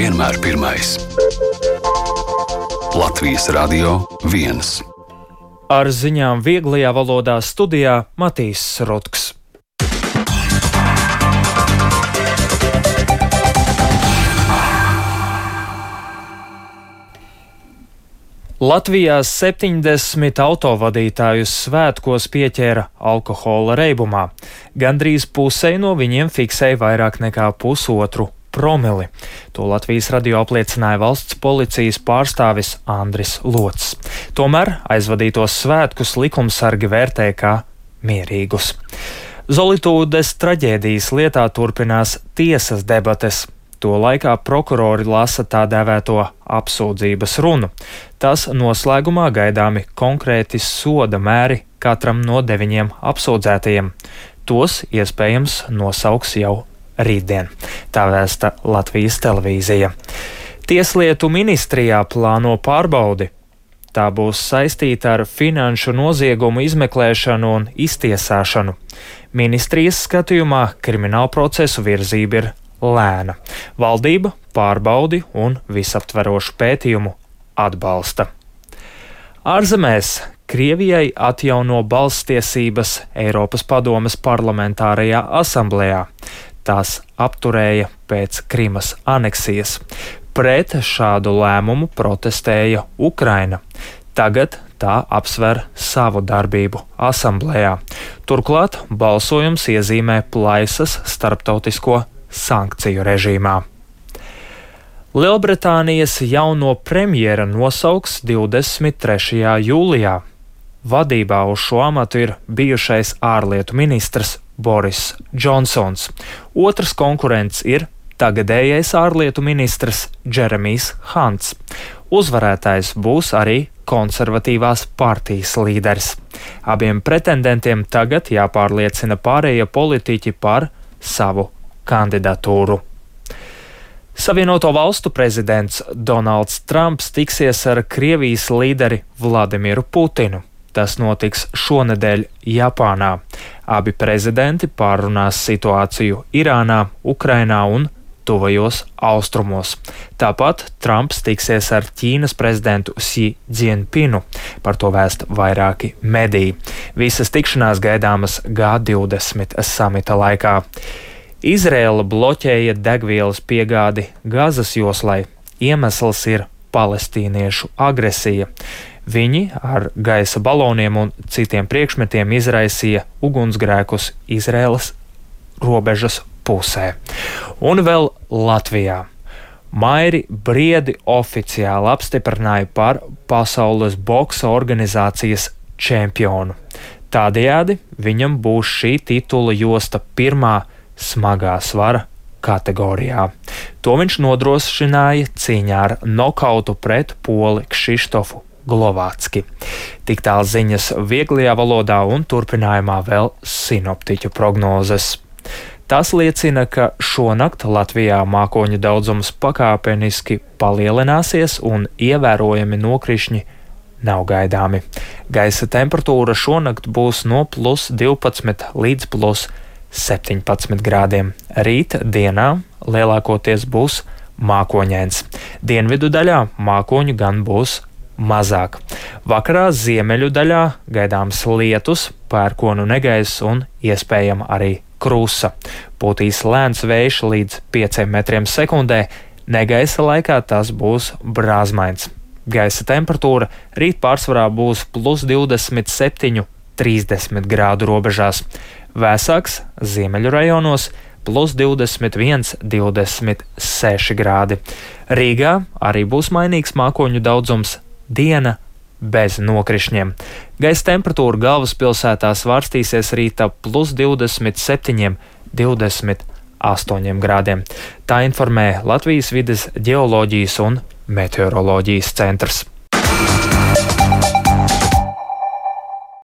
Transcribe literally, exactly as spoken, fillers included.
vienmēr pirmais. Latvijas Radio viens. Ar ziņām vieglajā valodā studijā Matīs Rutks. Latvijā septiņdesmit autovadītājus svētkos pieķēra alkohola reibumā. Gandrīz pusei no viņiem fiksēja vairāk nekā pusotru promili. To Latvijas radio apliecināja valsts policijas pārstāvis Andris Lots. Tomēr aizvadītos svētkus likumsargi vērtē kā mierīgus. Zolitūdes traģēdijas lietā turpinās tiesas debates. To laikā prokurori lasa tā dēvēto apsūdzības runu. Tas noslēgumā gaidāmi konkrēti soda mēri katram no deviņiem apsūdzētajiem. Tos iespējams nosauks jau rītdien. Tā vēsta Latvijas televīzija. Tieslietu ministrijā plāno pārbaudi. Tā būs saistīta ar finanšu noziegumu izmeklēšanu un iztiesāšanu. Ministrijas skatījumā kriminālprocesu virzība ir lēna. Valdība pārbaudi un visaptverošu pētījumu atbalsta. Ārzemēs Krievijai atjauno balsstiesības Eiropas padomes parlamentārajā asamblējā. Tās apturēja pēc Krimas aneksijas. Pret šādu lēmumu protestēja Ukraina. Tagad tā apsver savu darbību asamblējā. Turklāt balsojums iezīmē plaisas starptautisko sankciju režīmā. Lielbritānijas jauno premjera nosauks divdesmit trešajā jūlijā. Vadībā uz šo amatu ir bijušais ārlietu ministrs Boris Džonsons. Otrs konkurents ir tagadējais ārlietu ministrs Džeremijs Hants. Uzvarētājs būs arī konservatīvās partijas līderis. Abiem pretendentiem tagad jāpārliecina pārējie politiķi par savu kandidatūru. Savienoto valstu prezidents Donalds Trumps tiksies ar Krievijas līderi Vladimiru Putinu. Tas notiks šonedēļ Japānā. Abi prezidenti pārunās situāciju Irānā, Ukrainā un tuvajos austrumos. Tāpat Trumps tiksies ar Ķīnas prezidentu Xi Jinpingu. Par to vēst vairāki mediji. Visas tikšanās gaidāmas G divdesmit samita laikā. Izraēla bloķēja degvielas piegādi Gazas joslai. Iemesls ir palestīniešu agresija. Viņi ar gaisa baloniem un citiem priekšmetiem izraisīja ugunsgrēkus Izraēlas robežas pusē. Un vēl Latvijā. Mairi Briedi oficiāli apstiprināja par pasaules boksa organizācijas čempionu. Tādējādi viņam būs šī titula josta pirmā smagā svara kategorijā. To viņš nodrošināja cīņā ar nokautu pret poli Kšištofu Glovācki. Tik tālu ziņas vieglajā valodā un turpinājumā vēl sinoptiķu prognozes. Tas liecina, ka šonakt Latvijā mākoņu daudzums pakāpeniski palielināsies un ievērojami nokrišņi nav gaidāmi. Gaisa temperatūra šonakt būs no plus divpadsmit līdz plus septiņpadsmit grādiem. Rīt dienā lielākoties būs mākoņains. Dienvidu daļā mākoņu gan būs mazāk. Vakarā ziemeļu daļā gaidāms lietus, pērkonu negaiss un iespējama arī krusa. Pūtīs lēns vējš līdz pieciem metriem sekundē, negaisa laikā tas būs brāzmains. Gaisa temperatūra rīt pārsvarā būs plus divdesmit septiņi līdz trīsdesmit grādu robežās. Vēsāks ziemeļu rajonos plus divdesmit viens līdz divdesmit seši grādi. Rīgā arī būs mainīgs mākoņu daudzums, diena bez nokrišņiem. Gaisa temperatūra galvaspilsētā svārstīsies rīta plus divdesmit septiņi līdz divdesmit astoņi grādiem. Tā informē Latvijas vides ģeoloģijas un meteoroloģijas centrs.